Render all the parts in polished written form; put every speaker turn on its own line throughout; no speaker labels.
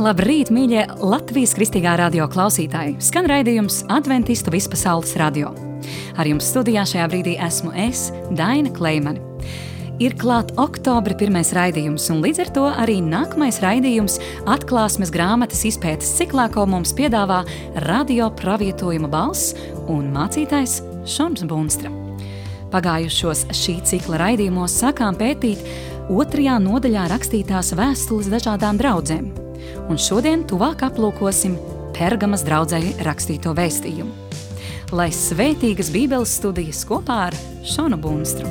Labrīt, mīļie Latvijas kristīgā radio klausītāji! Skan raidījums Adventistu vispasaules radio. Ar jums studijā šajā brīdī esmu es, Daina Kleimane. Ir klāt oktobra pirmais raidījums, un līdz ar to arī nākamais raidījums Atklāsmes grāmatas izpētes ciklā, ko mums piedāvā radio pravietojuma balss un mācītājs Šons Bunstra. Pagājušos šī cikla raidījumos sākām pētīt 2. nodaļā rakstītās vēstules dažādām draudzēm. Un šodien tuvāk aplūkosim Pergamas draudzei rakstīto vēstījumu. Lai svētīgas Bībeles studijas kopā ar Šonu Bunstru.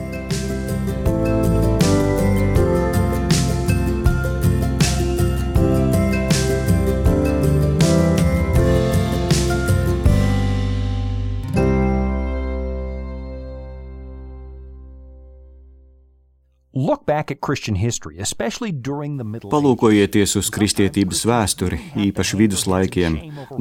Palūkojieties uz kristietības vēsturi, īpaši viduslaikiem.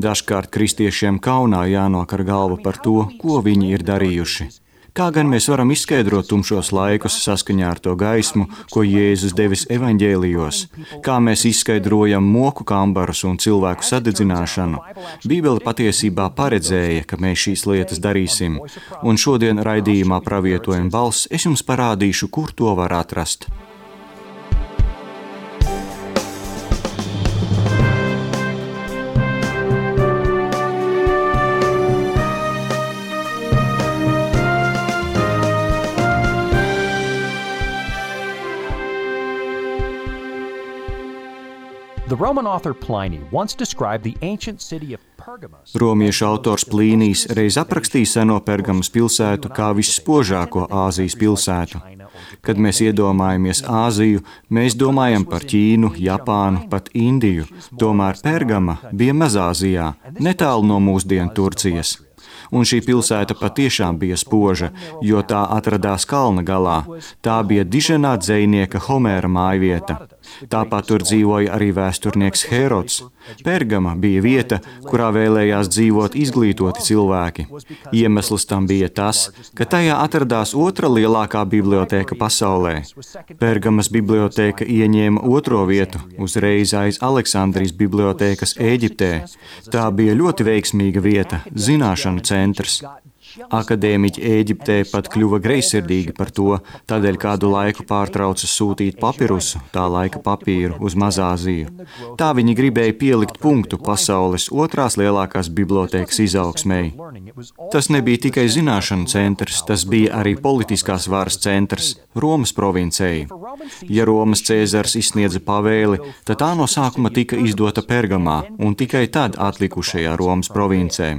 Dažkārt kristiešiem kaunā jānokar galva par to, ko viņi ir darījuši. Kā gan mēs varam izskaidrot tumšos laikus saskaņā ar to gaismu, ko Jēzus devis evaņģēlijos? Kā mēs izskaidrojam moku kambarus un cilvēku sadedzināšanu? Bībele patiesībā paredzēja, ka mēs šīs lietas darīsim, un šodien raidījumā Pravietojuma balss es jums parādīšu, kur to var atrast. Romiešu autors Plīnijs reiz aprakstīja seno Pergamas pilsētu kā visspožāko Āzijas pilsētu. Kad mēs iedomājamies Āziju, mēs domājam par Ķīnu, Japānu, pat Indiju. Tomēr Pergama bija Mazāzijā, netālu no mūsdienu Turcijas. Un šī pilsēta patiešām bija spoža, jo tā atradās kalna galā. Tā bija diženā dzejnieka Homēra mājvieta. Tāpat tur dzīvoja arī vēsturnieks Herods. Pergama bija vieta, kurā vēlējās dzīvot izglītoti cilvēki. Iemesls tam bija tas, ka tajā atradās otra lielākā bibliotēka pasaulē. Pergamas bibliotēka ieņēma 2. vietu, uzreiz aiz Aleksandrijas bibliotēkas Ēģiptē. Tā bija ļoti veiksmīga vieta, zināšanu centrs. Akadēmiķi Ēģiptē pat kļuva greizsirdīgi par to, tādēļ kādu laiku pārtrauca sūtīt papirusu, tā laika papīru, uz Mazāziju. Tā viņi gribēja pielikt punktu pasaules 2. lielākās bibliotēkas izaugsmei. Tas nebija tikai zināšanu centrs, tas bija arī politiskās varas centrs Romas provincei. Ja Romas Cēzars izsniedza pavēli, tad tā no sākuma tika izdota Pergamā un tikai tad atlikušajā Romas provincē.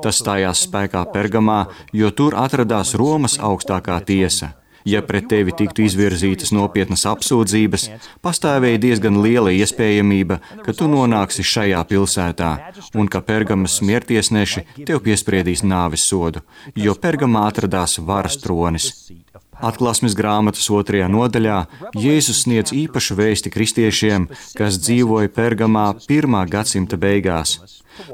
Tas stājās spēkā Pergamā, jo tur atradās Romas augstākā tiesa. Ja pret tevi tiktu izvirzītas nopietnas apsūdzības, pastāvēja diezgan liela iespējamība, ka tu nonāksi šajā pilsētā un ka Pergamas smiertiesneši tev piespriedīs nāves sodu, jo Pergamā atradās varas tronis. Atklāsmes grāmatas 2. nodaļā Jēzus sniedz īpašu vēsti kristiešiem, kas dzīvoja Pergamā 1. gadsimta beigās.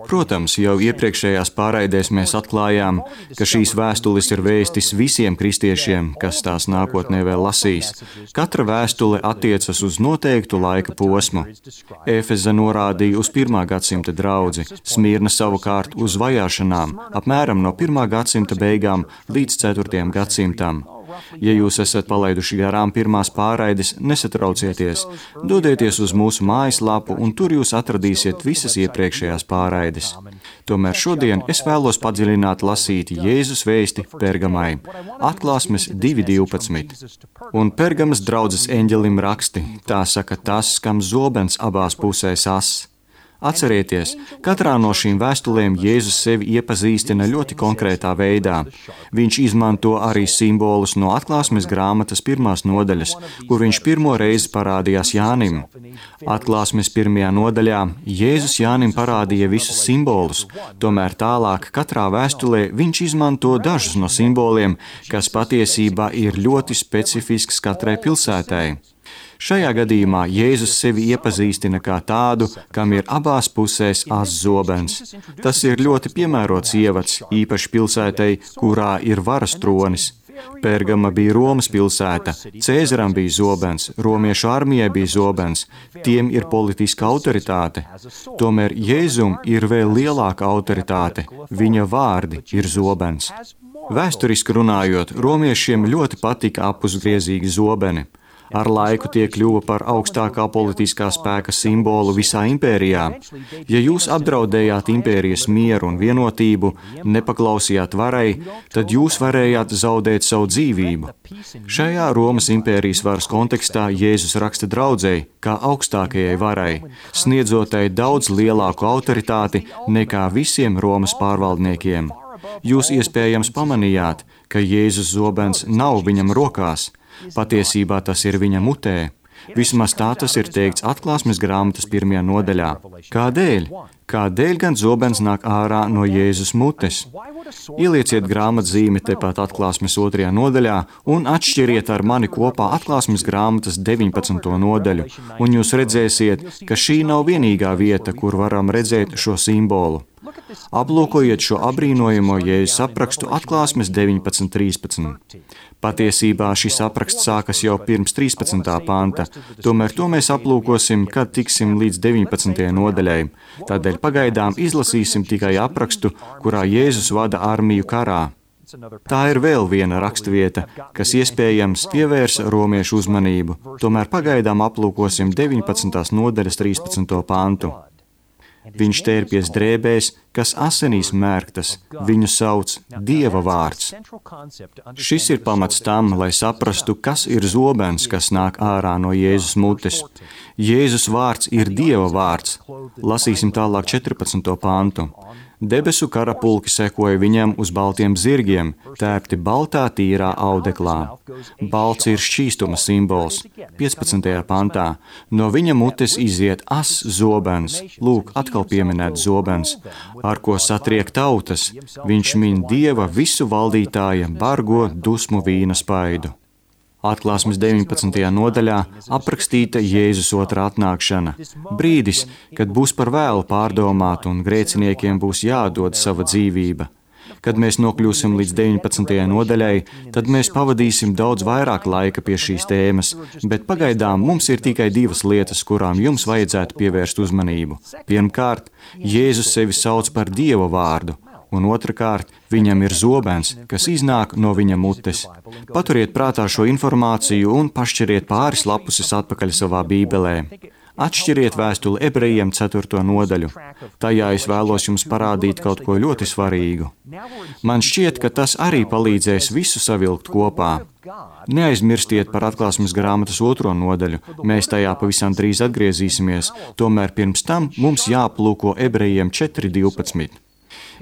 Protams, jau iepriekšējās pārraidēs mēs atklājām, ka šīs vēstules ir vēstis visiem kristiešiem, kas tās nākotnē vēl lasīs. Katra vēstule attiecas uz noteiktu laika posmu. Efeza norādīja uz 1. gadsimta draudzi, Smirna savukārt uz vajāšanām, apmēram no 1. gadsimta beigām līdz 4. gadsimtam. Ja jūs esat palaiduši garām pirmās pārraides, nesatraucieties, dodieties uz mūsu mājaslapu un tur jūs atradīsiet visas iepriekšējās pārraides. Tomēr šodien es vēlos padziļināt lasīt Jēzus vēsti Pergamai, Atklāsmes 2.12. Un Pergamas draudzes eņģelim raksti, tā saka tas, kam zobens abās pusēs ass. Atcerieties, katrā no šīm vēstulēm Jēzus sevi iepazīstina ļoti konkrētā veidā. Viņš izmanto arī simbolus no Atklāsmes grāmatas 1. nodaļas, kur viņš pirmo reizi parādījās Jānim. Atklāsmes 1. nodaļā Jēzus Jānim parādīja visus simbolus, tomēr tālāk katrā vēstulē viņš izmanto dažus no simboliem, kas patiesībā ir ļoti specifisks katrai pilsētai. Šajā gadījumā Jēzus sevi iepazīstina kā tādu, kam ir abās pusēs ās zobens. Tas ir ļoti piemērots ievads, īpaši pilsētai, kurā ir varas tronis. Pergama bija Romas pilsēta, Cēzaram bija zobens, romiešu armijai bija zobens, tiem ir politiska autoritāte. Tomēr Jēzum ir vēl lielāka autoritāte, viņa vārdi ir zobens. Vēsturiski runājot, romiešiem ļoti patika apusgriezīgi zobeni. Ar laiku tie kļuva par augstākā politiskā spēka simbolu visā impērijā. Ja jūs apdraudējāt impērijas mieru un vienotību, nepaklausījāt varai, tad jūs varējāt zaudēt savu dzīvību. Šajā Romas impērijas varas kontekstā Jēzus raksta draudzei kā augstākajai varai, sniedzotai daudz lielāku autoritāti nekā visiem Romas pārvaldniekiem. Jūs iespējams pamanījāt, ka Jēzus zobens nav viņam rokās. Patiesībā tas ir viņa mutē. Vismaz tā tas ir teikts Atklāsmes grāmatas 1. nodaļā. Kādēļ? Kādēļ gan zobens nāk ārā no Jēzus mutes? Ielieciet grāmatzīmi tepat Atklāsmes 2. nodaļā un atšķiriet ar mani kopā Atklāsmes grāmatas 19. nodaļu, un jūs redzēsiet, ka šī nav vienīgā vieta, kur varam redzēt šo simbolu. Aplūkojiet šo abrīnojamo Jēzus aprakstu Atklāsmes 19.13. Patiesībā šis apraksts sākas jau pirms 13. panta, tomēr to mēs aplūkosim, kad tiksim līdz 19. nodaļai. Tādēļ pagaidām izlasīsim tikai aprakstu, kurā Jēzus vada armiju karā. Tā ir vēl viena rakstvieta, kas iespējams pievērs romiešu uzmanību, tomēr pagaidām aplūkosim 19. nodaļas 13. pantu. Viņš tērpies drēbēs, kas asinīs mērgtas, viņu sauc Dieva vārds. Šis ir pamats tam, lai saprastu, kas ir zobens, kas nāk ārā no Jēzus mutes. Jēzus vārds ir Dieva vārds. Lasīsim tālāk 14. pantu. Debesu karapulki sekoja viņam uz baltiem zirgiem, tērpti baltā tīrā audeklā. Balts ir šķīstuma simbols. 15. pantā. No viņa mutes iziet as zobens, lūk, atkal pieminēt zobens, ar ko satriek tautas. Viņš min Dieva visu valdītāja bargo dusmu vīna spaidu. Atklāsmes 19. nodaļā aprakstīta Jēzus otrā atnākšana. Brīdis, kad būs par vēlu pārdomāt un grēciniekiem būs jādod sava dzīvība. Kad mēs nokļūsim līdz 19. nodaļai, tad mēs pavadīsim daudz vairāk laika pie šīs tēmas, bet pagaidām mums ir tikai divas lietas, kurām jums vajadzētu pievērst uzmanību. Pirmkārt, Jēzus sevi sauc par Dieva vārdu. Un otrkārt, viņam ir zobens, kas iznāk no viņa mutes. Paturiet prātā šo informāciju un pašķiriet pāris lapuses atpakaļ savā bībelē. Atšķiriet vēstuli Ebrejiem 4. nodaļu. Tajā es vēlos jums parādīt kaut ko ļoti svarīgu. Man šķiet, ka tas arī palīdzēs visu savilkt kopā. Neaizmirstiet par Atklāsmes grāmatas 2. nodaļu. Mēs tajā pavisam drīz atgriezīsimies, tomēr pirms tam mums jāplūko Ebrejiem 4.12.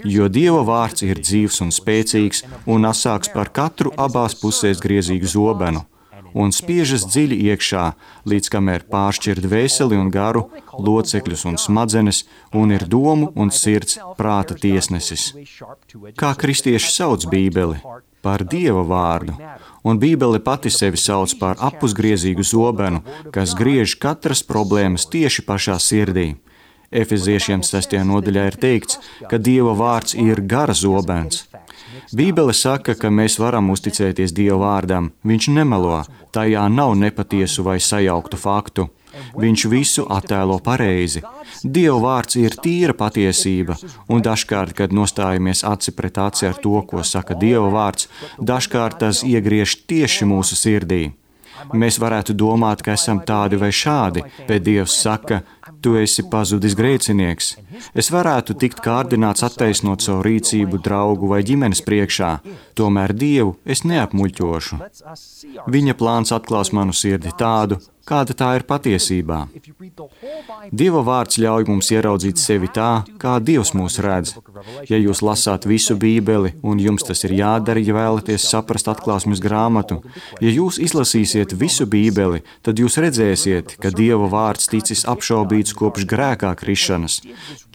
Jo Dieva vārds ir dzīvs un spēcīgs un asāks par katru abās pusēs griezīgu zobenu, un spiežas dziļi iekšā, līdz kamēr pāršķir dvēseli un garu, locekļus un smadzenes, un ir domu un sirds prāta tiesnesis. Kā kristieši sauc Bībeli? Par Dieva vārdu, un Bībele pati sevi sauc par apusgriezīgu zobenu, kas griež katras problēmas tieši pašā sirdī. Efeziešiem 6. nodaļā ir teikts, ka Dieva vārds ir gara zobens. Bībele saka, ka mēs varam uzticēties Dieva vārdam. Viņš nemelo, tajā nav nepatiesu vai sajauktu faktu. Viņš visu attēlo pareizi. Dieva vārds ir tīra patiesība, un dažkārt, kad nostājamies aci pret aci ar to, ko saka Dieva vārds, dažkārt tas iegriež tieši mūsu sirdī. Mēs varētu domāt, ka esam tādi vai šādi, bet Dievs saka, tu esi pazudis grēcinieks. Es varētu tikt kārdināts attaisnot savu rīcību draugu vai ģimenes priekšā, tomēr Dievu es neapmuļķošu. Viņa plāns atklās manu sirdi tādu, kāda tā ir patiesībā. Dieva vārds ļauj mums ieraudzīt sevi tā, kā Dievs mūs redz. Ja jūs lasāt visu Bībeli, un jums tas ir jādara, ja vēlaties saprast Atklāsmes grāmatu, ja jūs izlasīsiet visu Bībeli, tad jūs redzēsiet, ka Dieva vārds ticis apšaubīts kopš grēkā krišanas.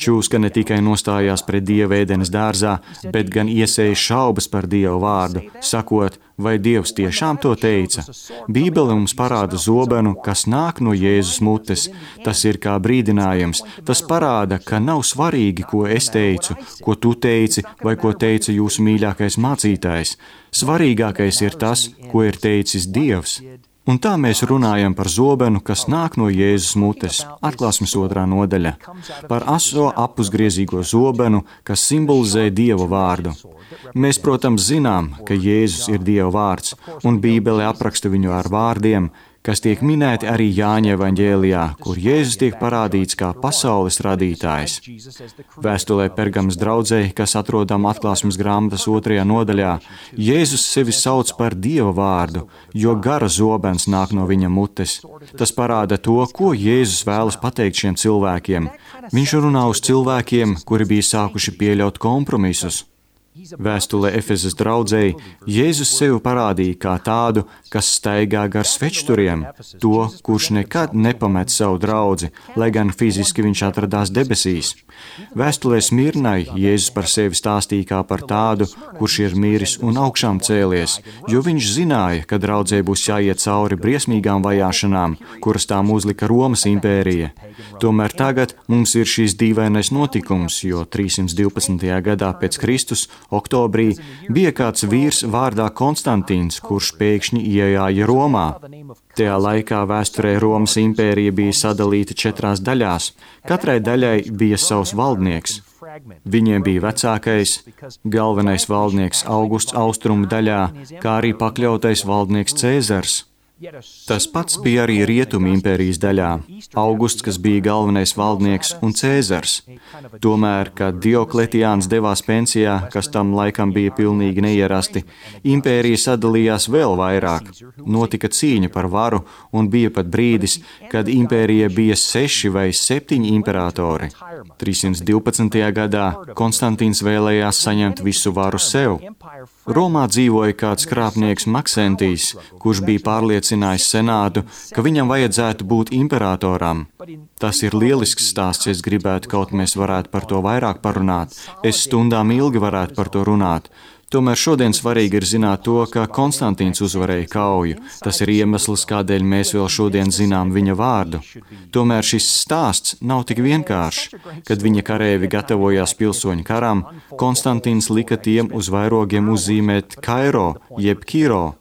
Čūska ne tikai nostājās pret Dievu ēdenes dārzā, bet gan iesēja šaubas par Dieva vārdu, sakot, vai Dievs tiešām to teica? Bībele mums parāda zobenu, kas nāk no Jēzus mutes. Tas ir kā brīdinājums. Tas parāda, ka nav svarīgi, ko es teicu, ko tu teici vai ko teica jūsu mīļākais mācītājs. Svarīgākais ir tas, ko ir teicis Dievs. Un tā mēs runājam par zobenu, kas nāk no Jēzus mutes. Atklāsmes 2. nodaļa. Par aso apusgriezīgo zobenu, kas simbolizē Dieva vārdu. Mēs, protams, zinām, ka Jēzus ir Dieva vārds, un Bībele apraksta viņu ar vārdiem, kas tiek minēti arī Jāņa evaņģēlijā, kur Jēzus tiek parādīts kā pasaules radītājs. Vēstulē Pergamas draudzei, kas atrodama Atklāsmes grāmatas 2. nodaļā, Jēzus sevi sauc par Dieva vārdu, jo gara zobens nāk no viņa mutes. Tas parāda to, ko Jēzus vēlas pateikt šiem cilvēkiem. Viņš runā uz cilvēkiem, kuri bija sākuši pieļaut kompromisus. Vēstulē Efezas draudzei Jēzus sevi parādīja kā tādu, kas staigā gar svečturiem, to, kurš nekad nepamet savu draudzi, lai gan fiziski viņš atradās debesīs. Vēstulē Smirnai Jēzus par sevi stāstīja kā par tādu, kurš ir miris un augšām cēlies, jo viņš zināja, ka draudzei būs jāiet cauri briesmīgām vajāšanām, kuras tām uzlika Romas impērija. Tomēr tagad mums ir šīs dīvainais notikums, jo 312. gadā pēc Kristus oktobrī bija kāds vīrs vārdā Konstantīns, kurš pēkšņi iejāja Romā. Tajā laikā vēsturē Romas impērija bija sadalīta 4 daļās. Katrai daļai bija savs valdnieks. Viņiem bija vecākais, galvenais valdnieks Augusts austrumu daļā, kā arī pakļautais valdnieks Cēzars. Tas pats bija arī Rietumu impērijas daļā, Augusts, kas bija galvenais valdnieks, un Cēzars. Tomēr, kad Diokletiāns devās pensijā, kas tam laikam bija pilnīgi neierasti, impērija sadalījās vēl vairāk. Notika cīņa par varu, un bija pat brīdis, kad impērija bija 6 vai 7 imperatori. 312. gadā Konstantīns vēlējās saņemt visu varu sev. Romā dzīvoja kāds krāpnieks Maksentijs, kurš bija pārliecinājis senātu, ka viņam vajadzētu būt imperatoram. Tas ir lielisks stāsts, es gribētu, kaut mēs varētu par to vairāk parunāt. Es stundām ilgi varētu par to runāt. Tomēr šodien svarīgi ir zināt to, ka Konstantīns uzvarēja kauju. Tas ir iemesls, kādēļ mēs vēl šodien zinām viņa vārdu. Tomēr šis stāsts nav tik vienkāršs. Kad viņa karēvi gatavojās pilsoņu karam, Konstantīns lika tiem uz vairogiem uzzīmēt Kairo, jeb Kiro.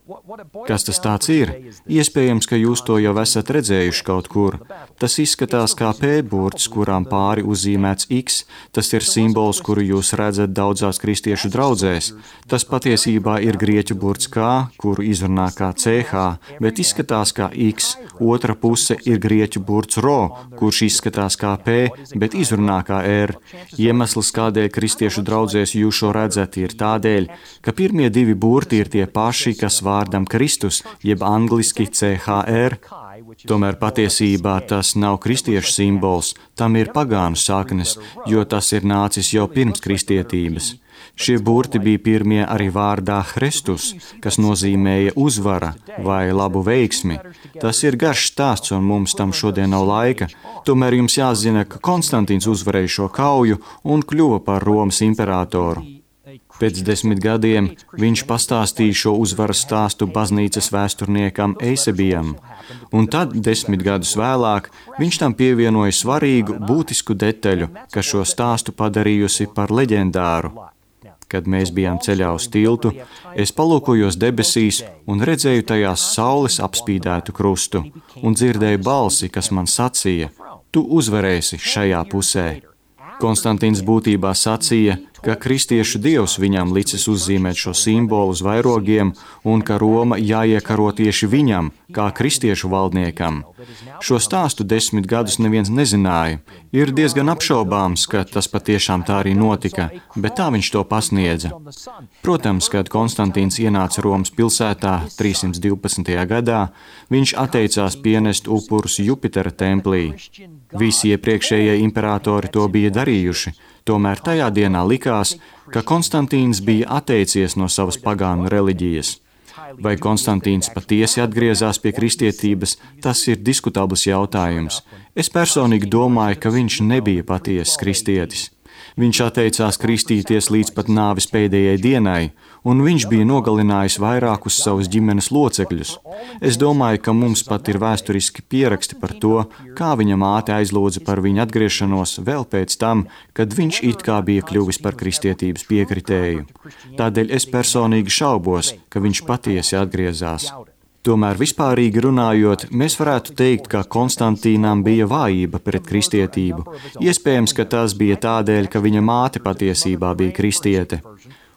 Kas tas tāds ir? Iespējams, ka jūs to jau esat redzējuši kaut kur. Tas izskatās kā P-burts, kurām pāri uzzīmēts X. Tas ir simbols, kuru jūs redzat daudzās kristiešu draudzēs. Tas patiesībā ir grieķu burts K, kuru izrunā kā CH, bet izskatās kā X. Otra puse ir grieķu burts Ro, kurš izskatās kā P, bet izrunā kā R. Iemesls, kādēļ kristiešu draudzēs jūs šo redzat, ir tādēļ, ka pirmie 2 burti ir tie paši, kas vārdam Kristus, jeb angliski CHR. Tomēr patiesībā tas nav kristiešu simbols, tam ir pagānu saknes, jo tas ir nācis jau pirms kristietības. Šie burti bija pirmie arī vārdā Kristus, kas nozīmēja uzvara vai labu veiksmi. Tas ir garš stāsts, un mums tam šodien nav laika. Tomēr jums jāzina, ka Konstantīns uzvarēja šo kauju un kļuva par Romas imperatoru. Pēc 10 gadiem viņš pastāstīja šo uzvaras stāstu baznīcas vēsturniekam Eisebijam, un tad 10 gadus vēlāk viņš tam pievienoja svarīgu, būtisku detaļu, kas šo stāstu padarījusi par leģendāru. Kad mēs bijām ceļā uz tiltu, es palūkojos debesīs un redzēju tajās saules apspīdētu krustu un dzirdēju balsi, kas man sacīja: tu uzvarēsi šajā pusē. Konstantīns būtībā sacīja, ka kristiešu dievs viņam licis uzzīmēt šo simbolu uz vairogiem un ka Roma jāiekaro tieši viņam, kā kristiešu valdniekam. Šo stāstu 10 gadus neviens nezināja. Ir diezgan apšaubāms, ka tas patiešām tā arī notika, bet tā viņš to pasniedza. Protams, kad Konstantīns ienāca Romas pilsētā 312. gadā, viņš atteicās pienest upurus Jupitera templī. Visi iepriekšējie imperatori to bija darījuši, tomēr tajā dienā likās, ka Konstantīns bija atteicies no savas pagānu reliģijas. Vai Konstantīns patiesi atgriezās pie kristietības, tas ir diskutabls jautājums. Es personīgi domāju, ka viņš nebija patiesis kristietis. Viņš atteicās kristīties līdz pat nāves pēdējai dienai, un viņš bija nogalinājis vairākus savus ģimenes locekļus. Es domāju, ka mums pat ir vēsturiski pieraksti par to, kā viņa māte aizlūdza par viņa atgriešanos vēl pēc tam, kad viņš it kā bija kļuvis par kristietības piekritēju. Tādēļ es personīgi šaubos, ka viņš patiesi atgriezās. Tomēr vispārīgi runājot, mēs varētu teikt, ka Konstantīnam bija vājība pret kristietību. Iespējams, ka tas bija tādēļ, ka viņa māte patiesībā bija kristiete.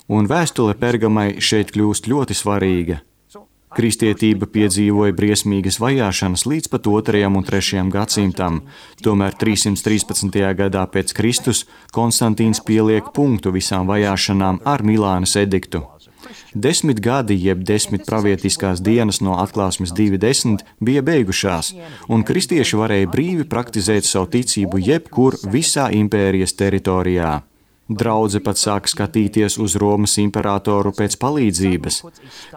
Un vēstule Pergamai šeit kļūst ļoti svarīga. Kristietība piedzīvoja briesmīgas vajāšanas līdz pat 2. un 3. gadsimtam. Tomēr 313. gadā pēc Kristus Konstantīns pieliek punktu visām vajāšanām ar Milānas ediktu. 10 gadi, jeb 10 pravietiskās dienas no Atklāsmes 2.10 bija beigušās, un kristieši varēja brīvi praktizēt savu ticību jebkur visā impērijas teritorijā. Draudze pat sāka skatīties uz Romas imperatoru pēc palīdzības.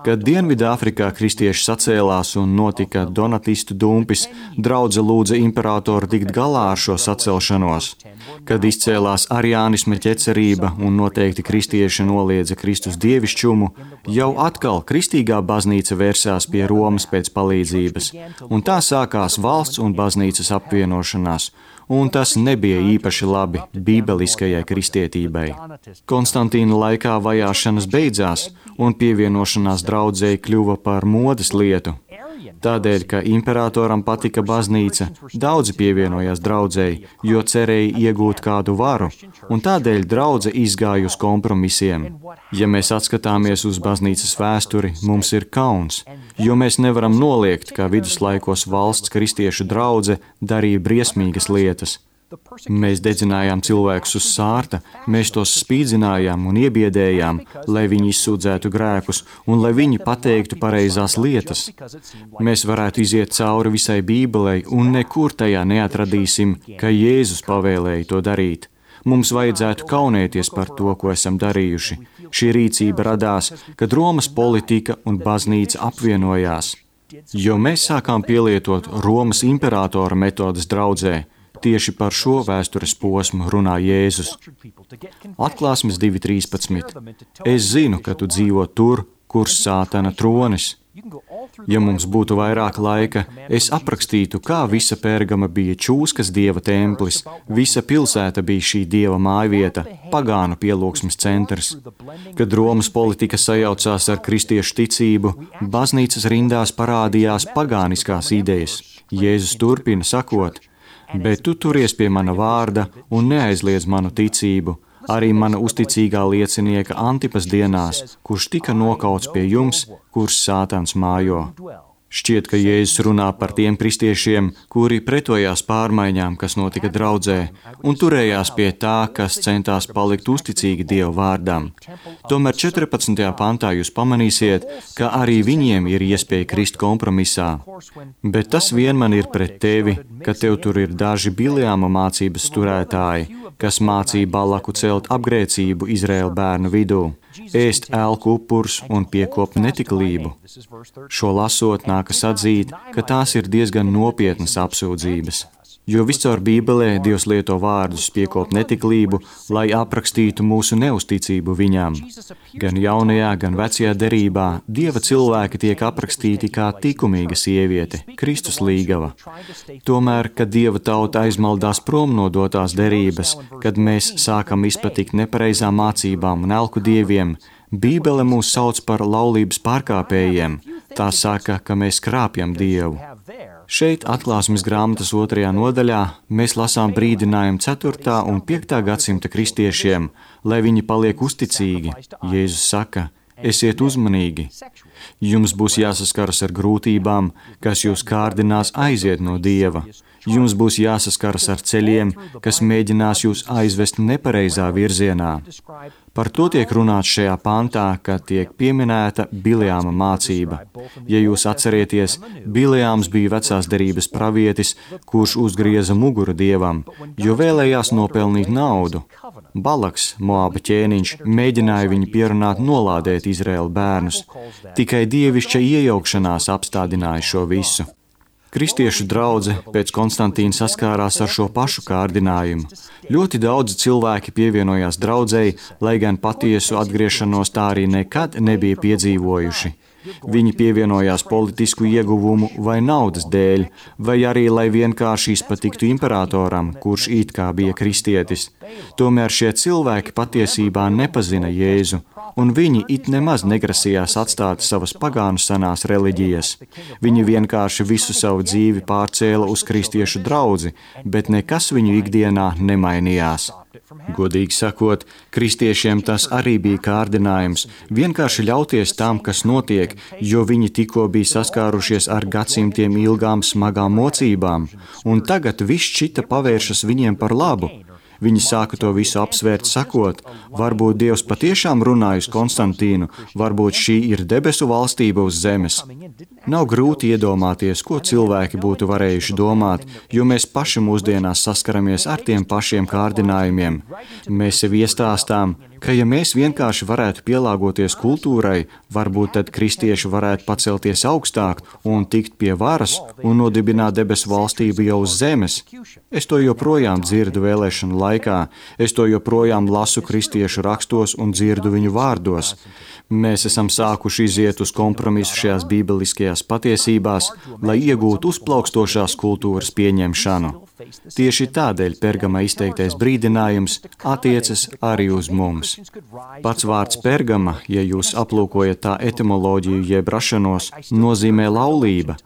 Kad Dienvidāfrikā kristieši sacēlās un notika donatistu dumpis, draudze lūdza imperatoru tikt galā ar šo sacelšanos. Kad izcēlās ariānisma ķecerība un noteikti kristieši noliedza Kristus dievišķumu, jau atkal kristīgā baznīca vērsās pie Romas pēc palīdzības, un tā sākās valsts un baznīcas apvienošanās. Un tas nebija īpaši labi bībeliskajai kristietībai. Konstantīna laikā vajāšanas beidzās, un pievienošanās draudzei kļuva par modes lietu. Tādēļ, ka imperatoram patika baznīca, daudzi pievienojās draudzei, jo cerēja iegūt kādu varu, un tādēļ draudze izgāja uz kompromisiem. Ja mēs atskatāmies uz baznīcas vēsturi, mums ir kauns, jo mēs nevaram noliegt, ka viduslaikos valsts kristiešu draudze darīja briesmīgas lietas. Mēs dedzinājām cilvēkus uz sārta, mēs tos spīdzinājām un iebiedējām, lai viņi izsūdzētu grēkus un lai viņi pateiktu pareizās lietas. Mēs varētu iziet cauri visai Bībelei un nekur tajā neatradīsim, ka Jēzus pavēlēja to darīt. Mums vajadzētu kaunēties par to, ko esam darījuši. Šī rīcība radās, kad Romas politika un baznīca apvienojās. Jo mēs sākām pielietot Romas imperatora metodas draudzē, tieši par šo vēstures posmu runā Jēzus. Atklāsmes 2.13. Es zinu, ka tu dzīvo tur, kur Sātana tronis. Ja mums būtu vairāk laika, es aprakstītu, kā visa Pergama bija čūskas dieva templis, visa pilsēta bija šī dieva mājvieta, pagānu pielūgsmes centrs. Kad Romas politika sajaucās ar kristiešu ticību, baznīcas rindās parādījās pagāniskās idejas. Jēzus turpina sakot: bet tu turies pie mana vārda un neaizliedz manu ticību, arī mana uzticīgā liecinieka Antipas dienās, kurš tika nokauts pie jums, kurš Sātans mājo. Šķiet, ka Jēzus runā par tiem kristiešiem, kuri pretojās pārmaiņām, kas notika draudzē, un turējās pie tā, kas centās palikt uzticīgi Dieva vārdam. Tomēr 14. pantā jūs pamanīsiet, ka arī viņiem ir iespēja krist kompromisā. Bet tas vien man ir pret tevi, ka tev tur ir daži Bileāma mācības turētāji, kas mācīja Balaku celt apgrēcību Izraēla bērnu vidū, ēst elku upurus un piekopt netiklību. Šo lasot, nākas atzīt, ka tās ir diezgan nopietnas apsūdzības. Jo viscaur Bībelē Dievs lieto vārdus piekopt netiklību, lai aprakstītu mūsu neusticību viņam. Gan jaunajā, gan vecajā derībā Dieva cilvēki tiek aprakstīti kā likumīga sieviete, Kristus līgava. Tomēr, kad Dieva tauta aizmaldās prom no dotās derības, kad mēs sākam izpatikt nepareizām mācībām un elku dieviem, Bībele mūs sauc par laulības pārkāpējiem. Tā saka, ka mēs krāpjam Dievu. Šeit Atklāsmes grāmatas 2. nodaļā mēs lasām brīdinājumu 4. un 5. gadsimta kristiešiem, lai viņi paliek uzticīgi. Jēzus saka: esiet uzmanīgi. Jums būs jāsaskaras ar grūtībām, kas jūs kārdinās aiziet no Dieva. Jums būs jāsaskaras ar ceļiem, kas mēģinās jūs aizvest nepareizā virzienā. Par to tiek runāts šajā pantā, kad tiek pieminēta Bileāma mācība. Ja jūs atcerieties, Bileāms bija vecās derības pravietis, kurš uzgrieza muguru Dievam, jo vēlējās nopelnīt naudu. Balaks, Moāba ķēniņš, mēģināja viņu pierunāt nolādēt Izraēla bērnus. Tikai dievišķa iejaukšanās apstādināja šo visu. Kristiešu draudze pēc Konstantīna saskārās ar šo pašu kārdinājumu. Ļoti daudzi cilvēki pievienojās draudzei, lai gan patiesu atgriešanos tā arī nekad nebija piedzīvojuši. Viņi pievienojās politisku ieguvumu vai naudas dēļ, vai arī, lai vienkārši izpatiktu imperatoram, kurš it kā bija kristietis. Tomēr šie cilvēki patiesībā nepazina Jēzu, un viņi it nemaz negrasījās atstāt savas pagānu senās reliģijas. Viņi vienkārši visu savu dzīvi pārcēla uz kristiešu draudzi, bet nekas viņu ikdienā nemainījās. Godīgi sakot, kristiešiem tas arī bija kārdinājums vienkārši ļauties tam, kas notiek, jo viņi tikko bija saskārušies ar gadsimtiem ilgām smagām mocībām, un tagad viss šķita pavēršas viņiem par labu. Viņi sāka to visu apsvērt, sakot, varbūt Dievs patiešām runāja uz Konstantīnu, varbūt šī ir debesu valstība uz zemes. Nav grūti iedomāties, ko cilvēki būtu varējuši domāt, jo mēs paši mūsdienās saskaramies ar tiem pašiem kārdinājumiem. Mēs sev iestāstām, ka ja mēs vienkārši varētu pielāgoties kultūrai, varbūt tad kristieši varētu pacelties augstāk un tikt pie varas un nodibināt debesu valstību jau uz zemes. Es to joprojām dzirdu vēlēšanu laikā, es to joprojām lasu kristiešu rakstos un dzirdu viņu vārdos. Mēs esam sākuši iziet uz kompromisu šajās bībeliskajās patiesībās, lai iegūtu uzplaukstošās kultūras pieņemšanu. Tieši tādēļ Pergama izteiktais brīdinājums attiecas arī uz mums. Pats vārds Pergama, ja jūs aplūkojat tā etimoloģiju jeb rašanos, nozīmē laulība.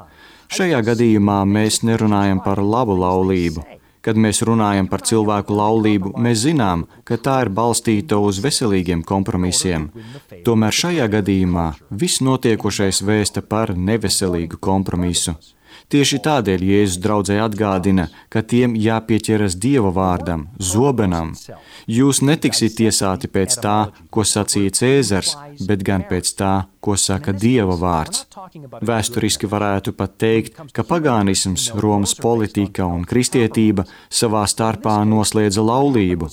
Šajā gadījumā mēs nerunājam par labu laulību. Kad mēs runājam par cilvēku laulību, mēs zinām, ka tā ir balstīta uz veselīgiem kompromisiem. Tomēr šajā gadījumā viss notiekošais vēsta par neveselīgu kompromisu. Tieši tādēļ Jēzus draudzē atgādina, ka tiem jāpieķeras Dieva vārdam, zobenam. Jūs netiksiet tiesāti pēc tā, ko sacīja Cēzars, bet gan pēc tā, ko saka Dieva vārds. Vēsturiski varētu pat teikt, ka pagānisms, Romas politika un kristietība savā starpā noslēdza laulību.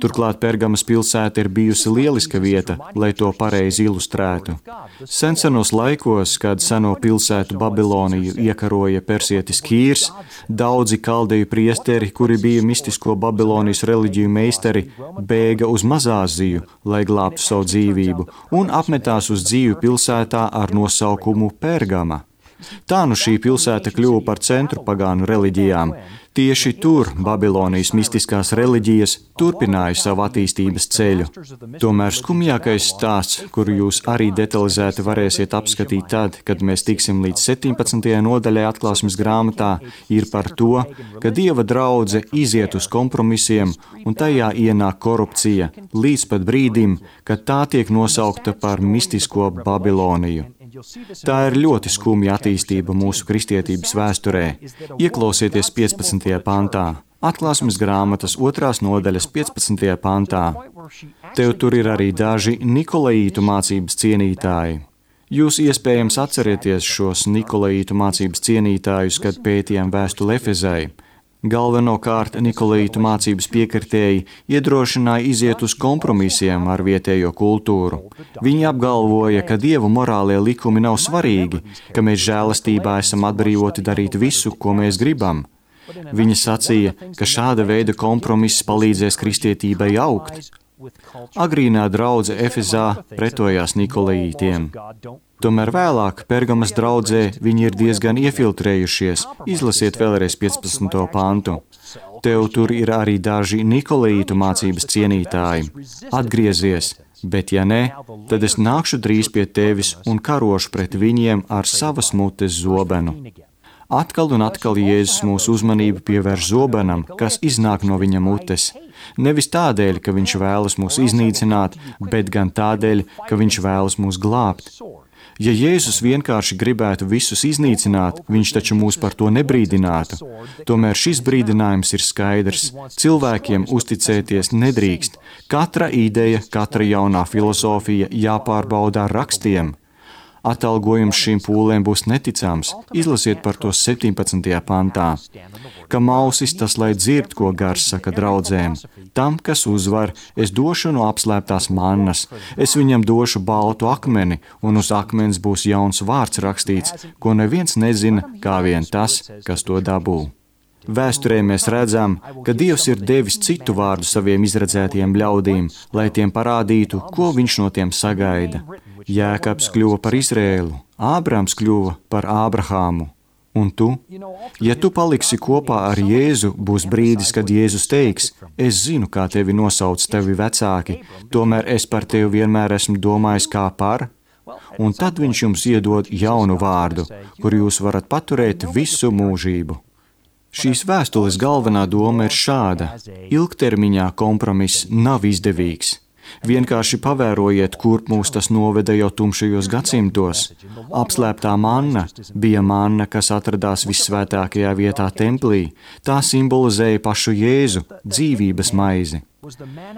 Turklāt Pergamas pilsēta ir bijusi lieliska vieta, lai to pareizi ilustrētu. Senos laikos, kad seno pilsētu Babiloniju iekaroja persietis Kīrs, daudzi kaldeju priesteri, kuri bija mistisko Babilonijas reliģiju meistari, bēga uz Mazāziju, lai glābtu savu dzīvību, un apmetās uz dzīvi pilsētā ar nosaukumu Pergama. Tā nu šī pilsēta kļuva par centru pagānu reliģijām. Tieši tur Babilonijas mistiskās reliģijas turpināja savu attīstības ceļu. Tomēr skumjākais stāsts, kuru jūs arī detalizēti varēsiet apskatīt tad, kad mēs tiksim līdz 17. nodaļai Atklāsmes grāmatā, ir par to, ka Dieva draudze iziet uz kompromisiem un tajā ienāk korupcija līdz pat brīdim, kad tā tiek nosaukta par mistisko Babiloniju. Tā ir ļoti skumja attīstība mūsu kristietības vēsturē. Ieklausieties 15. pantā. Atklāsmes grāmatas 2. nodaļas 15. pantā. Tev tur ir arī daži Nikolaītu mācības cienītāji. Jūs iespējams atcerieties šos Nikolaītu mācības cienītājus, kad pētījām vēstuli Efezai. Galvenokārt Nikolaītu mācības piekritēji iedrošināja iziet uz kompromisiem ar vietējo kultūru. Viņi apgalvoja, ka Dieva morālie likumi nav svarīgi, ka mēs žēlastībā esam atbrīvoti darīt visu, ko mēs gribam. Viņi sacīja, ka šāda veida kompromiss palīdzēs kristietībai augt. Agrīnā draudze Efezā pretojās Nikolaītiem. Tomēr vēlāk Pergamas draudzē viņi ir diezgan iefiltrējušies. Izlasiet vēlreiz 15. pantu. Tev tur ir arī daži Nikolaītu mācības cienītāji. Atgriezies, bet ja ne, tad es nākšu drīz pie tevis un karošu pret viņiem ar savas mutes zobenu. Atkal un atkal Jēzus mūsu uzmanību pievērš zobenam, kas iznāk no viņa mutes. Nevis tādēļ, ka viņš vēlas mūs iznīcināt, bet gan tādēļ, ka viņš vēlas mūs glābt. Ja Jēzus vienkārši gribētu visus iznīcināt, viņš taču mūs par to nebrīdinātu. Tomēr šis brīdinājums ir skaidrs. Cilvēkiem uzticēties nedrīkst. Katra ideja, katra jaunā filozofija jāpārbauda ar rakstiem. Atalgojums šīm pūlēm būs neticams. Izlasiet par to 17. pantā. ka mausis tas, lai dzird, ko gars saka draudzēm. Tam, kas uzvar, es došu no apslēptās mannas, es viņam došu baltu akmeni, un uz akmens būs jauns vārds rakstīts, ko neviens nezina, kā vien tas, kas to dabū. Vēsturē mēs redzam, ka Dievs ir devis citu vārdu saviem izredzētiem ļaudīm, lai tiem parādītu, ko viņš no tiem sagaida. Jēkabs kļuva par Izrēlu, Ābrams kļuva par Ābrahāmu. Un tu? Ja tu paliksi kopā ar Jēzu, būs brīdis, kad Jēzus teiks, es zinu, kā tevi nosauc tavi vecāki, tomēr es par tevi vienmēr esmu domājis kā par, un tad viņš jums iedod jaunu vārdu, kur jūs varat paturēt visu mūžību. Šīs vēstules galvenā doma ir šāda. Ilgtermiņā kompromiss nav izdevīgs. Vienkārši pavērojiet, kurp mūs tas noveda jau tumšajos gadsimtos. Apslēptā manna bija manna, kas atradās vissvētākajā vietā templī. Tā simbolizēja pašu Jēzu, dzīvības maizi.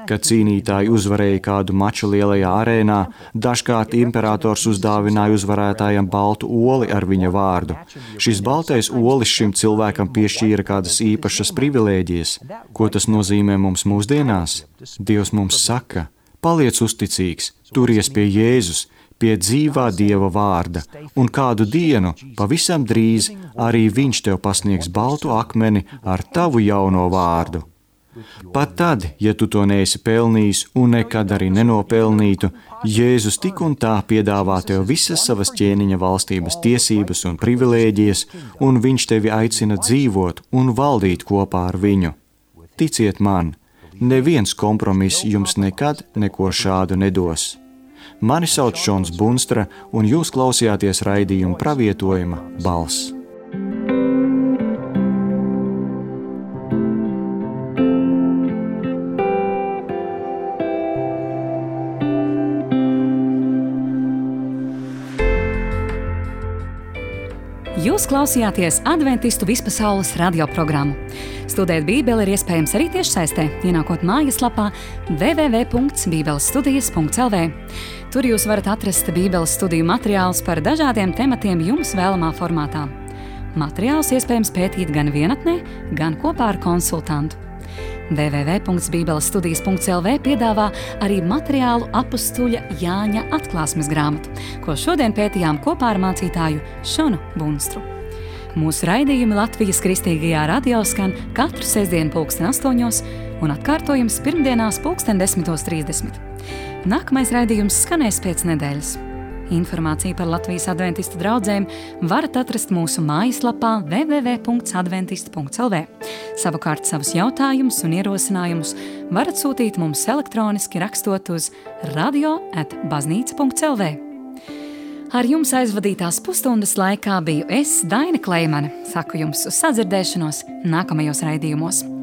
Kad cīnītāji uzvarēja kādu maču lielajā arēnā, dažkārt imperators uzdāvināja uzvarētājam baltu oli ar viņa vārdu. Šis baltais olis šim cilvēkam piešķīra kādas īpašas privilēģijas. Ko tas nozīmē mums mūsdienās? Dievs mums saka, paliec uzticīgs, turies pie Jēzus, pie dzīvā Dieva vārda, un kādu dienu, pavisam drīz, arī viņš tev pasniegs baltu akmeni ar tavu jauno vārdu. Pat tad, ja tu to neesi pelnījis un nekad arī nenopelnītu, Jēzus tik un tā piedāvā tev visas savas ķēniņa valstības tiesības un privilēģijas, un viņš tevi aicina dzīvot un valdīt kopā ar viņu. Ticiet man, neviens kompromiss jums nekad neko šādu nedos. Mani sauc Šons Bunstra, un jūs klausījāties raidījuma Pravietojuma balss.
Jūs klausījāties Adventistu vispasaules radioprogrammu. Studēt Bībeli ir iespējams arī tiešsaistē, ienākot mājaslapā www.bībelestudijas.lv. Tur jūs varat atrast Bībeles studiju materiālus par dažādiem tematiem jums vēlamā formātā. Materiālus iespējams pētīt gan vienatnē, gan kopā ar konsultantu. www.bībelestudijas.lv piedāvā arī materiālu apustuļa Jāņa atklāsmes grāmatu, ko šodien pētījām kopā ar mācītāju Šonu Bunstru. Mūsu raidījumi Latvijas Kristīgajā radio skan katru sestdienu 8:00 un atkārtojums pirmdienās 10:30. Nākamais raidījums skanēs pēc nedēļas. Informāciju par Latvijas adventistu draudzēm varat atrast mūsu mājaslapā www.adventistu.lv. Savukārt savus jautājumus un ierosinājumus varat sūtīt mums elektroniski rakstot uz radio@baznīca.lv. Ar jums aizvadītās pusstundas laikā biju es, Daina Kleimane. Saku jums uz sadzirdēšanos nākamajos raidījumos.